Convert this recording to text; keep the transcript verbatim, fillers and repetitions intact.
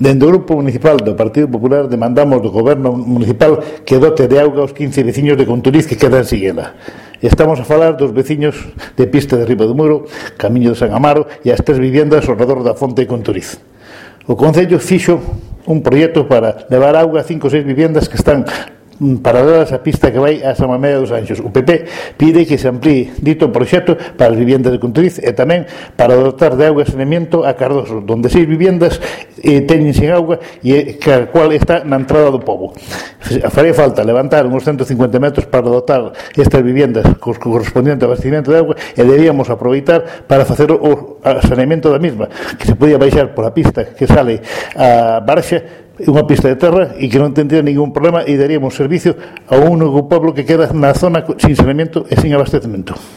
Dende o Grupo Municipal do Partido Popular demandamos do Goberno Municipal que dote de auga aos quince veciños de Conturiz que quedan sin ela. Estamos a falar dos veciños de Pista de Riba do Muro, Camiño de San Amaro e as tres viviendas ao redor da Fonte de Conturiz. O Concello fixo un proxecto para levar auga a cinco ou seis viviendas que están paralelas á pista que vai a San Mamede dos Anxos. O P P pide que se amplíe dito proxecto para as viviendas de Conturiz e tamén para dotar de auga e saneamento a Cardoso, donde seis viviendas eh, teñen sin auga e a cual está na entrada do pobo. Faría falta levantar uns ciento cincuenta metros para dotar estas viviendas co correspondiente abastecimento de auga e deberíamos aproveitar para facer o saneamento da mesma, que se podía baixar pola pista que sale a Barxa, unha pista de terra e que non tendría ningún problema e daríamos servicio a un único pueblo que queda na zona sin saneamento e sin abastecemento.